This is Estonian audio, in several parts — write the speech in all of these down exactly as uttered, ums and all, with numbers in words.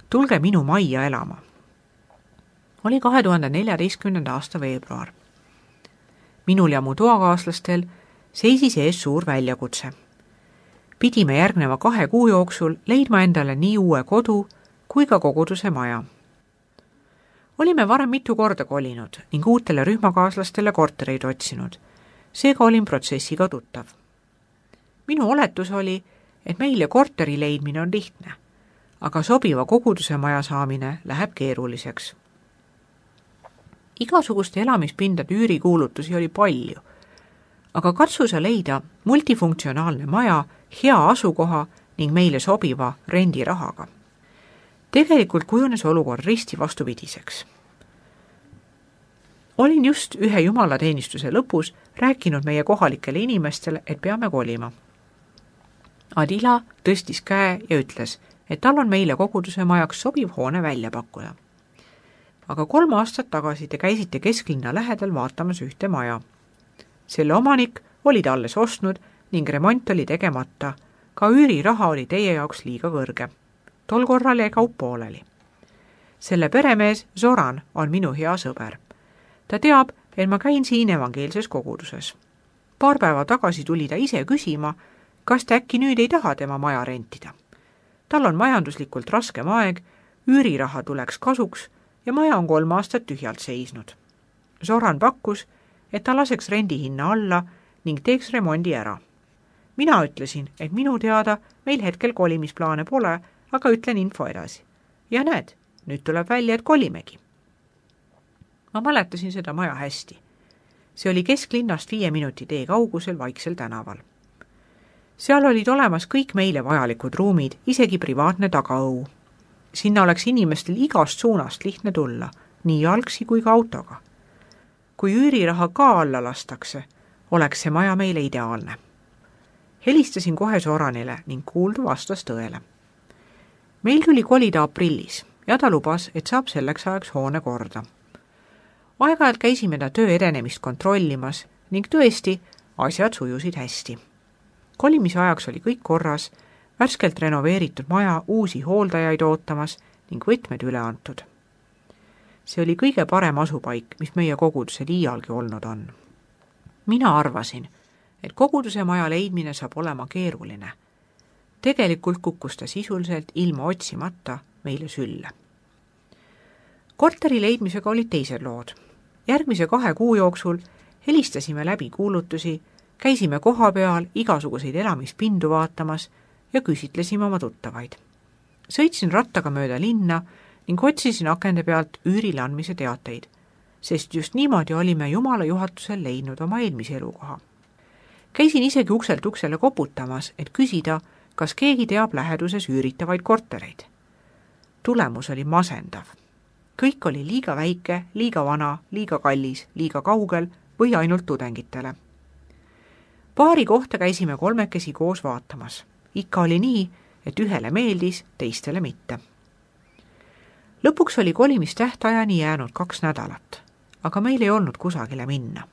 tulge minu majja elama. Oli kahe tuhande neljateistkümnenda aasta veebruar. Minul ja mu toakaaslastel seisis ees suur väljakutse. Pidime järgneva kahe kuu jooksul leidma endale nii uue kodu kui ka koguduse maja. Olime varem mitu korda kolinud ning uutele rühmakaaslastele kortereid otsinud. Seega olin protsessiga tuttav. Minu oletus oli, et meile korteri leidmine on lihtne, aga sobiva koguduse maja saamine läheb keeruliseks. Igasuguste elamispindade üürikuulutusi oli palju, aga katsu sa leida multifunktsionaalne maja, hea asukoha ning meile sobiva rendirahaga. Tegelikult kujunes olukord risti vastupidiseks. Olin just ühe jumalateenistuse lõpus rääkinud meie kohalikele inimestele, et peame kolima. Adila tõstis käe ja ütles, et tal on meile koguduse majaks sobiv hoone välja pakkuda. Aga kolm aastat tagasi te käisite kesklinna lähedal vaatamas ühte maja. Selle omanik oli ta alles ostnud ning remont oli tegemata. Ka üüriraha oli teie jaoks liiga kõrge. Tol korral jäi kaup pooleli. Selle peremees Zoran on minu hea sõber. Ta teab, et ma käin siin evangeelses koguduses. Paar päeva tagasi tuli ta ise küsima, kas ta äkki nüüd ei taha tema maja rentida. Tal on majanduslikult raskem aeg, üüriraha tuleks kasuks ja maja on kolm aastat tühjalt seisnud. Zoran pakkus, et ta laseks rendihinna alla ning teeks remondi ära. Mina ütlesin, et minu teada meil hetkel kolimisplaane pole, aga ütlen info edasi. Ja näed, nüüd tuleb välja, et kolimegi. Ma mäletasin seda maja hästi. See oli kesklinnast viie minuti tee kaugusel Vaiksel tänaval. Seal olid olemas kõik meile vajalikud ruumid, isegi privaatne tagaõu. Sinna oleks inimestel igast suunast lihtne tulla, nii jalgsi kui ka autoga. Kui üüriraha ka alla lastakse, oleks see maja meile ideaalne. Helistasin kohe Zoranile ning kuuldu vastas tõele. Meil tuli kolida aprillis ja ta lubas, et saab selleks ajaks hoone korda. Aeg-ajalt käisime ta töö edenemist kontrollimas ning tõesti asjad sujusid hästi. Kolimise ajaks oli kõik korras, värskelt renoveeritud maja uusi hooldajaid ootamas ning võtmed üle antud. See oli kõige parem asupaik, mis meie kogudusel iialgi olnud on. Mina arvasin, et koguduse maja leidmine saab olema keeruline. Tegelikult kukkus ta sisuliselt ilma otsimata meile sülle. Korteri leidmisega olid teised lood. Järgmise kahe kuu jooksul helistasime läbi kuulutusi, käisime koha peal igasuguseid elamispindu vaatamas ja küsitlesime oma tuttavaid. Sõitsin rattaga mööda linna ning otsisin akende pealt üürile andmise teateid, sest just niimoodi olime Jumala juhatusel leidnud oma eelmise elukoha. Käisin isegi ukselt uksele koputamas, et küsida, kas keegi teab läheduses üüritavaid kortereid. Tulemus oli masendav. Kõik oli liiga väike, liiga vana, liiga kallis, liiga kaugel või ainult tudengitele. Paari kohta käisime kolmekesi koos vaatamas. Ikka oli nii, et ühele meeldis, teistele mitte. Lõpuks oli kolimistähtajani jäänud kaks nädalat, aga meil ei olnud kusagile minna.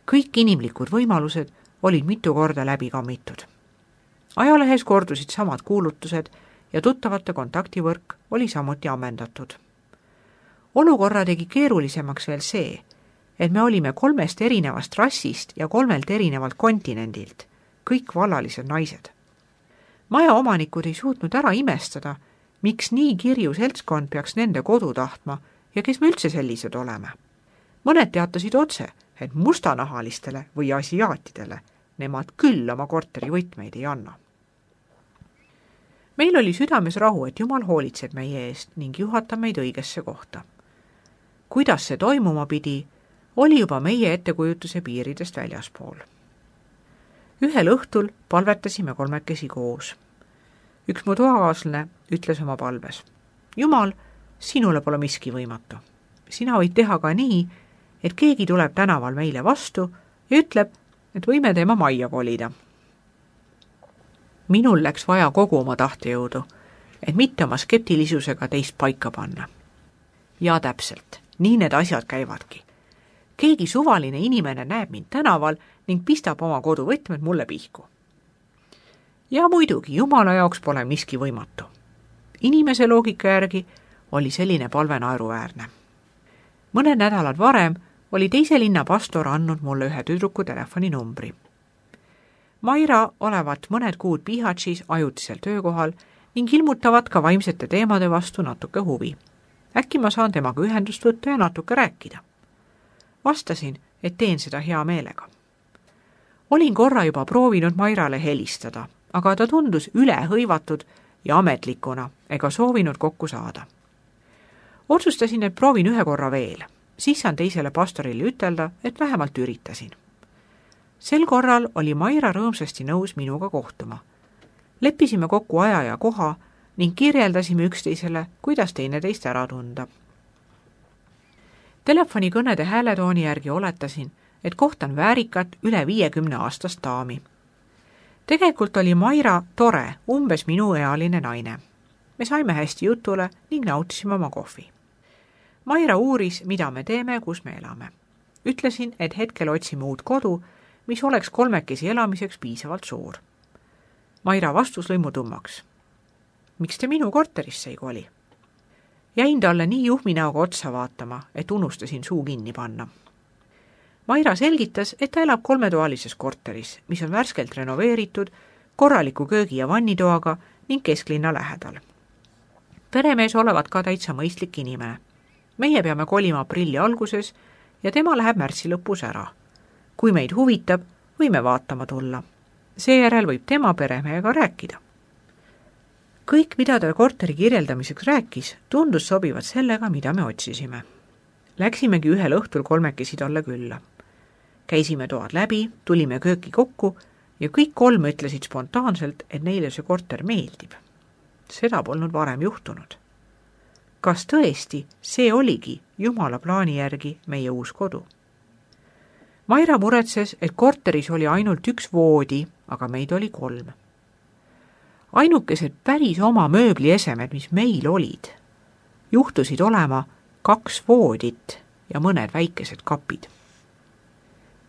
Kõik inimlikud võimalused olid mitu korda läbi kammitud. Ajalehes kordusid samad kuulutused ja tuttavate kontaktivõrk oli samuti ammendatud. Olukorra tegi keerulisemaks veel see, et me olime kolmest erinevast rassist ja kolmelt erinevalt kontinendilt, kõik vallalised naised. Maja omanikud ei suutnud ära imestada, miks nii kirju seltskond peaks nende kodu tahtma ja kes me üldse sellised oleme. Mõned teatasid otse, et mustanahalistele või asiaatidele nemad küll oma korteri võtmeid ei anna. Meil oli südames rahu, et Jumal hoolitseb meie eest ning juhatab meid õigesse kohta. Kuidas see toimuma pidi, oli juba meie ettekujutuse piiridest väljaspool. Ühel õhtul palvetasime kolmekesi koos. Üks mu toakaaslane ütles oma palves: Jumal, sinule pole miski võimatu. Sina võid teha ka nii, et keegi tuleb tänaval meile vastu ja ütleb, et võime tema majja kolida. Minul läks vaja kogu oma tahtejõudu, et mitte oma skeptilisusega teist paika panna. Ja täpselt, nii need asjad käivadki. Keegi suvaline inimene näeb mind tänaval ning pistab oma koduvõtmed mulle pihku. Ja muidugi, Jumala jaoks pole miski võimatu. inimese loogika järgi oli selline palve naeruväärne. Mõned nädalad varem oli teise linna pastor andnud mulle ühe tüdruku telefoninumbri. Maira olevat mõned kuud Bihaćis ajutisel töökohal ning ilmutavat ka vaimsete teemade vastu natuke huvi. Äkki ma saan temaga ühendust võtta ja natuke rääkida. Vastasin, et teen seda hea meelega. Olin korra juba proovinud Mairale helistada, aga ta tundus ülehõivatud ja ametlikuna ega soovinud kokku saada. Otsustasin, et proovin ühe korra veel, siis saan teisele pastorile ütelda, et vähemalt üritasin. Sel korral oli Maira rõõmsasti nõus minuga kohtuma. Leppisime kokku aja ja koha ning kirjeldasime üksteisele, kuidas teineteist ära tunda. Telefonikõnede hääletooni järgi oletasin, et kohtan väärikat üle viiekümne aastast daami. Tegelikult oli Maira tore, umbes minu ealine naine. Me saime hästi jutule ning nautisime oma kohvi. Maira uuris, mida me teeme, kus me elame. Ütlesin, et hetkel otsime uut kodu, mis oleks kolmekesi elamiseks piisavalt suur. Maira vastus lõi mu tummaks. Miks te minu korterisse ei koli? Jäin talle nii juhmi näoga otsa vaatama, et unustasin suu kinni panna. Maira selgitas, et ta elab kolmetoalises korteris, mis on värskelt renoveeritud, korraliku köögi- ja vannitoaga ning kesklinna lähedal. Peremees olevat ka täitsa mõistlik inimene. Meie peame kolima aprilli alguses ja tema läheb märtsi lõpus ära. Kui meid huvitab, võime vaatama tulla. Seejärel võib tema peremehega rääkida. Kõik, mida ta korteri kirjeldamiseks rääkis, tundus sobivat sellega, mida me otsisime. Läksimegi ühel õhtul kolmekesi talle külla. Käisime toad läbi, tulime kööki kokku ja kõik kolm ütlesid spontaanselt, et neile see korter meeldib. Seda polnud varem juhtunud. Kas tõesti see oligi Jumala plaani järgi meie uus kodu? Maira muretses, et korteris oli ainult üks voodi, aga meid oli kolm. Ainukesed päris oma mööbliesemed, mis meil olid, juhtusid olema kaks voodit ja mõned väikesed kapid.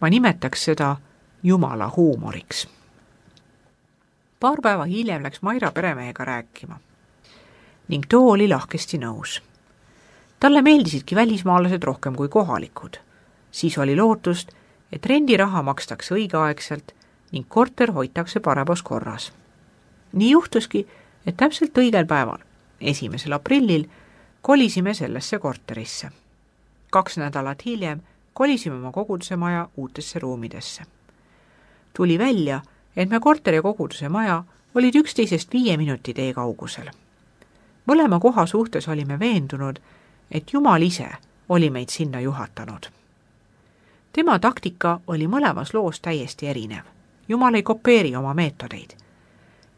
Ma nimetaks seda Jumala huumoriks. Paar päeva hiljem läks Maira peremehega rääkima ning too oli lahkesti nõus. Talle meeldisidki välismaalased rohkem kui kohalikud. Siis oli lootust, et rendiraha makstakse õigeaegselt ning korter hoitakse paremas korras. Nii juhtuski, et täpselt õigel päeval, esimesel aprillil, kolisime sellesse korterisse. Kaks nädalat hiljem kolisime oma koguduse maja uutesse ruumidesse. Tuli välja, et me korteri ja koguduse maja olid üksteisest viie minuti tee kaugusel. Mõlema koha suhtes olime veendunud, et Jumal ise oli meid sinna juhatanud. Tema taktika oli mõlemas loos täiesti erinev. Jumal ei kopeeri oma meetodeid.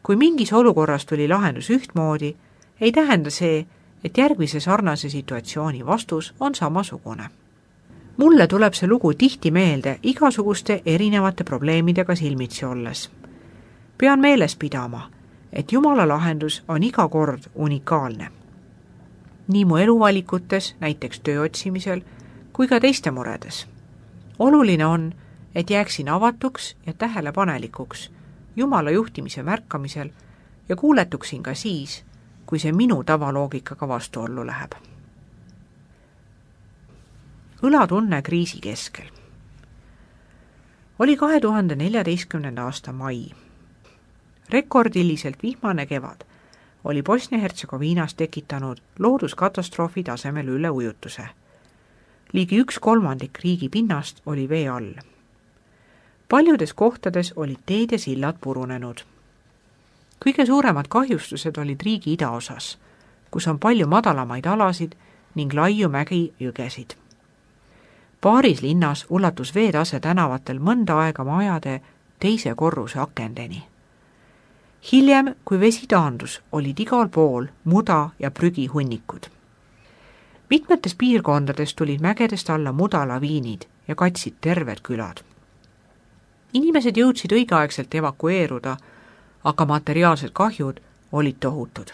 Kui mingis olukorras tuli lahendus ühtmoodi, ei tähenda see, et järgmise sarnase situatsiooni vastus on samasugune. Mulle tuleb see lugu tihti meelde igasuguste erinevate probleemidega silmitsi olles. Pean meeles pidama, et Jumala lahendus on iga kord unikaalne. Nii mu eluvalikutes, näiteks töö otsimisel, kui ka teiste muredes. Oluline on, et jääksin avatuks ja tähelepanelikuks Jumala juhtimise märkamisel ja kuuletuksin ka siis, kui see minu tavaloogikaga vastuollu läheb. Õlatunne kriisi keskel. Oli kahe tuhande neljateistkümnenda aasta mai. Rekordiliselt vihmane kevad oli Bosnia-Hertsegoviinas tekitanud looduskatastroofi tasemel üleujutuse. Ligi üks kolmandik riigi pinnast oli vee all. Paljudes kohtades olid teed ja sillad purunenud. Kõige suuremad kahjustused olid riigi idaosas, kus on palju madalamaid alasid ning laiu mägi jõgesid. Paaris linnas ulatus veetase tänavatel mõnda aega majade teise korruse akendeni. Hiljem, kui vesi taandus, olid igal pool muda ja prügi hunnikud. Mitmetes piirkondades tulid mägedest alla mudalaviinid ja katsid terved külad. Inimesed jõudsid õigeaegselt evakueeruda, aga materiaalsed kahjud olid tohutud.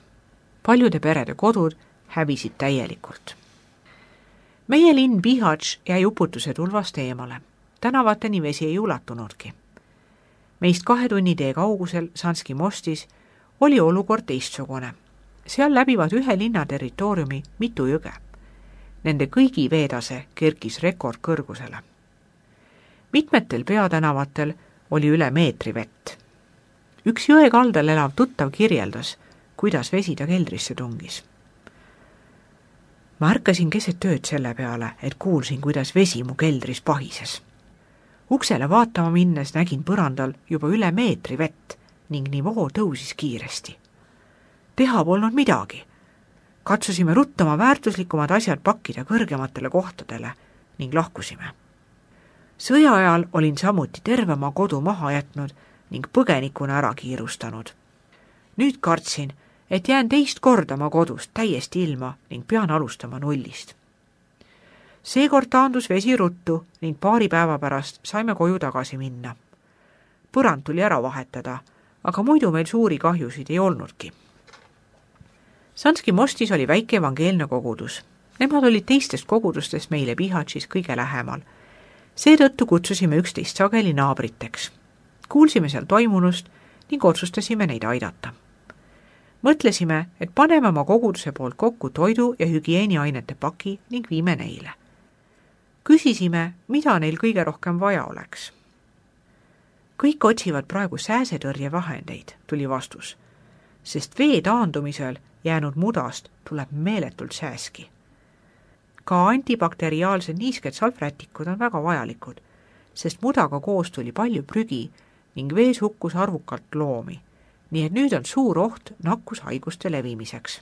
Paljude perede kodud hävisid täielikult. Meie linn Bihać jäi uputuse tulvast eemale. Tänavateni vesi ei ulatunudki. Meist kahe tunni tee kaugusel Sanski mostis oli olukord teistsugune. seal läbivad ühe linna territooriumi mitu jõge. Nende kõigi veetase kerkis rekordkõrgusele. Mitmetel peatänavatel oli üle meetri vett. Üks jõe kaldal elav tuttav kirjeldas, kuidas vesi ta keldrisse tungis. Ma ärkasin keset ööd selle peale, et kuulsin, kuidas vesi mu keldris pahises. Uksele vaatama minnes nägin põrandal juba üle meetri vett ning nivoo tõusis kiiresti. Teha polnud midagi. Katsusime ruttama väärtuslikumad asjad pakkida kõrgematele kohtadele ning lahkusime. Sõja ajal olin samuti terve oma kodu maha jätnud ning põgenikuna ära kiirustanud. Nüüd kartsin, et jään teist korda oma kodust täiesti ilma ning pean alustama nullist. Seekord taandus vesi ruttu ning paari päeva pärast saime koju tagasi minna. Põrand tuli ära vahetada, aga muidu meil suuri kahjusid ei olnudki. Sanski Mostis oli väike evangeelne kogudus. Nemad olid teistest kogudustest meile Bihaćis kõige lähemal. Seetõttu kutsusime üksteist sageli naabriteks. Kuulsime seal toimunust ning otsustasime neid aidata. Mõtlesime, et paneme oma koguduse poolt kokku toidu ja hügieeniainete paki ning viime neile. Küsisime, mida neil kõige rohkem vaja oleks. Kõik otsivad praegu sääsetõrjevahendeid, tuli vastus, sest vee taandumisel jäänud mudast tuleb meeletult sääski. Ka antibakteriaalsed niisked salvrätikud on väga vajalikud, sest mudaga koos tuli palju prügi ning vees hukkus arvukalt loomi, nii et nüüd on suur oht nakkushaiguste levimiseks.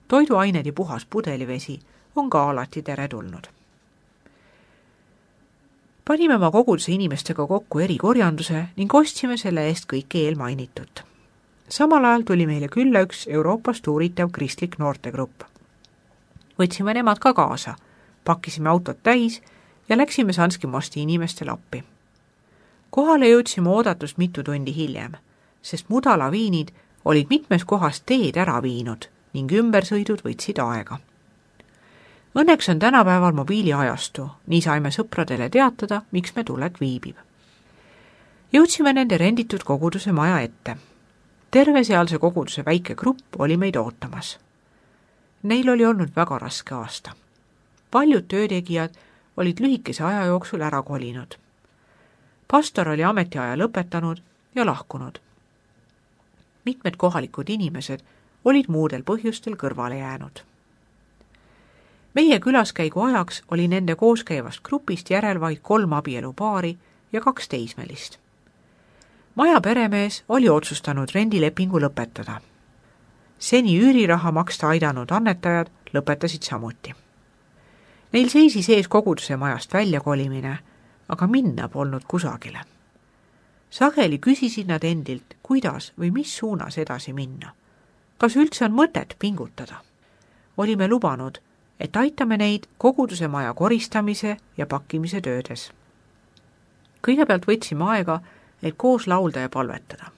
Toiduained ja puhas pudelivesi on ka alati teretulnud. Panime oma koguduse inimestega kokku erikorjanduse ning ostsime selle eest kõike eelmainitut. Samal ajal tuli meile külla üks Euroopast uuritav kristlik noortegrupp. Võtsime nemad ka kaasa, pakkisime autot täis ja läksime Sanski Mosti inimestele appi. Kohale jõudsime oodatust mitu tundi hiljem, sest mudalaviinid olid mitmes kohas teed ära viinud ning ümbersõidud võtsid aega. Õnneks on tänapäeval mobiiliajastu, nii saime sõpradele teatada, miks me tulek viibib. Jõudsime nende renditud koguduse maja ette. Terve sealse koguduse väike grupp oli meid ootamas. Neil oli olnud väga raske aasta. Paljud töötegijad olid lühikese aja jooksul ära kolinud. Pastor oli ametiaja lõpetanud ja lahkunud. Mitmed kohalikud inimesed olid muudel põhjustel kõrvale jäänud. Meie külaskäigu ajaks oli nende kooskäivast grupist järel vaid kolm abielupaari ja kaks teismelist. Maja peremees oli otsustanud rendilepingu lõpetada. Seni üüriraha maksta aidanud annetajad lõpetasid samuti. Neil seisis ees koguduse majast väljakolimine, aga minna polnud kusagile. Sageli küsisid nad endilt, kuidas või mis suunas edasi minna. Kas üldse on mõtet pingutada? Olime lubanud, et aitame neid koguduse maja koristamise ja pakkimise töödes. Kõigepealt võtsime aega, et koos laulda ja palvetada.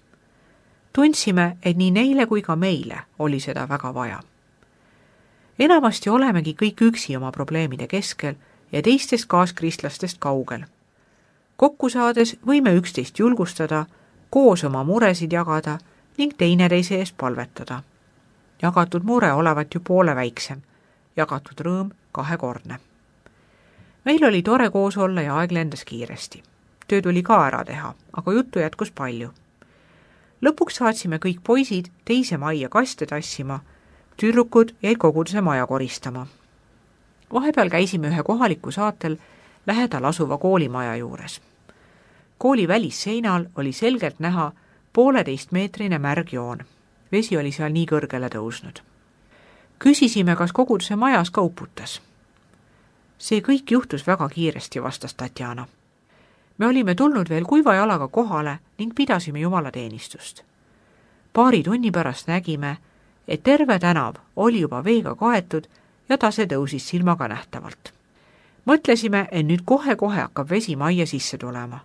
Tundsime, et nii neile kui ka meile oli seda väga vaja. Enamasti olemegi kõik üksi oma probleemide keskel ja teistest kaaskristlastest kaugel. Kokku saades võime üksteist julgustada, koos oma muresid jagada ning teineteise eest palvetada. Jagatud mure olevat ju poole väiksem, jagatud rõõm kahekordne. Meil oli tore koos olla ja aeg lendas kiiresti. Töö tuli ka ära teha, aga juttu jätkus palju. Lõpuks saatsime kõik poisid teise majja kaste tassima, tüdrukud jäid koguduse maja koristama. Vahepeal käisime ühe kohaliku saatel lähedal asuva koolimaja juures. Kooli välisseinal oli selgelt näha pooleteistmeetrine märgjoon. Vesi oli seal nii kõrgele tõusnud. Küsisime, kas koguduse majas ka uputas. See kõik juhtus väga kiiresti, vastas Tatjana. Me olime tulnud veel kuiva jalaga kohale ning pidasime jumalateenistust. Paari tunni pärast nägime, et terve tänav oli juba veega kaetud ja tase tõusis silmaga nähtavalt. Mõtlesime, et nüüd kohe-kohe hakkab vesi majja sisse tulema.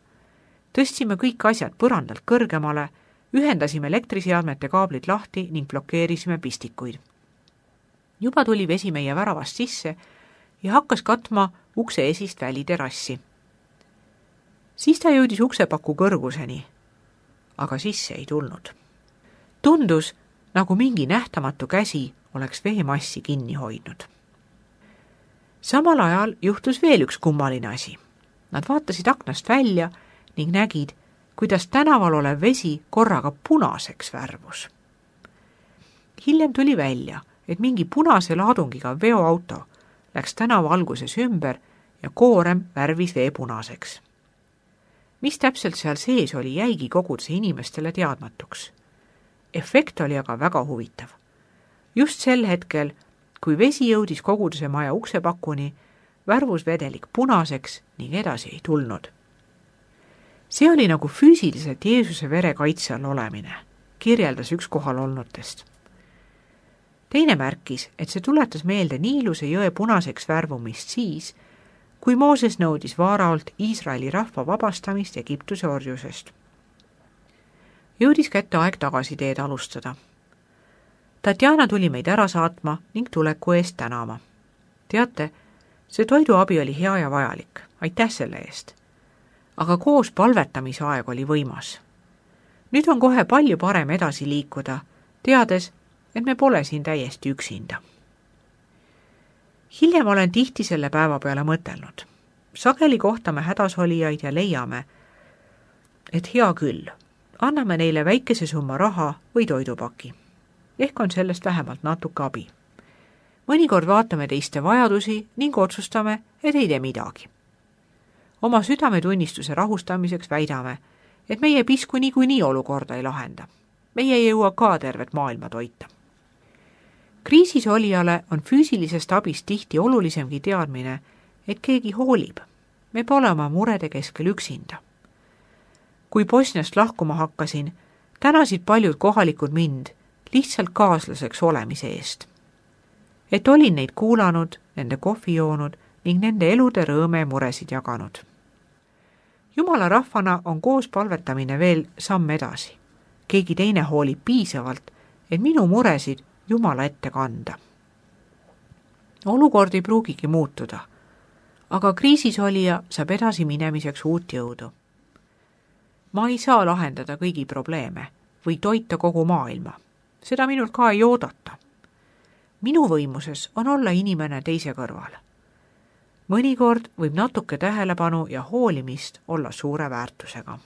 Tõstsime kõik asjad põrandalt kõrgemale, ühendasime elektriseadmete kaablid lahti ning blokeerisime pistikuid. Juba tuli vesi meie väravast sisse ja hakkas katma ukse esist väliterassi. Siis ta jõudis uksepaku kõrguseni, aga sisse ei tulnud. Tundus, nagu mingi nähtamatu käsi oleks veemassi kinni hoidnud. Samal ajal juhtus veel üks kummaline asi. Nad vaatasid aknast välja ning nägid, kuidas tänaval olev vesi korraga punaseks värvus. Hiljem tuli välja, et mingi punase laadungiga veoauto läks tänava alguses ümber ja koorem värvis vee punaseks. Mis täpselt seal sees oli, jäigi koguduse inimestele teadmatuks. Efekt oli aga väga huvitav. Just sel hetkel, kui vesi jõudis koguduse maja uksepakuni, värvus vedelik punaseks ning edasi ei tulnud. See oli nagu füüsiliselt Jeesuse vere kaitse all olemine, kirjeldas üks kohal olnutest. Teine märkis, et see tuletas meelde Niiluse jõe punaseks värvumist siis, kui Mooses nõudis Vaaraolt Iisraeli rahva vabastamist Egiptuse orjusest. Jõudis kätte aeg tagasiteed alustada. Tatjana tuli meid ära saatma ning tuleku eest tänama. Teate, see toiduabi oli hea ja vajalik, aitäh selle eest. Aga koos palvetamise aeg oli võimas. Nüüd on kohe palju parem edasi liikuda, teades, et me pole siin täiesti üksinda. Hiljem olen tihti selle päeva peale mõtelnud. Sageli kohtame hädasolijaid ja leiame, et hea küll, anname neile väikese summa raha või toidupaki. Ehk on sellest vähemalt natuke abi. Mõnikord vaatame teiste vajadusi ning otsustame, et ei tee midagi. Oma südametunnistuse rahustamiseks väidame, et meie pisku niikuinii olukorda ei lahenda. Meie ei jõua ka tervet maailma toita. Kriisis olijale on füüsilisest abist tihti olulisemgi teadmine, et keegi hoolib. Me pole oma murede keskel üksinda. Kui Bosniast lahkuma hakkasin, tänasid paljud kohalikud mind lihtsalt kaaslaseks olemise eest. Et olin neid kuulanud, nende kohvi joonud ning nende elude rõõme ja muresid jaganud. Jumala rahvana on koos palvetamine veel samm edasi. Keegi teine hoolib piisavalt, et minu muresid Jumala ette kanda. Olukord ei pruugigi muutuda, aga kriisis olija saab edasi minemiseks uut jõudu. Ma ei saa lahendada kõigi probleeme või toita kogu maailma. Seda minult ka ei oodata. Minu võimuses on olla inimene teise kõrval. Mõnikord võib natuke tähelepanu ja hoolimist olla suure väärtusega.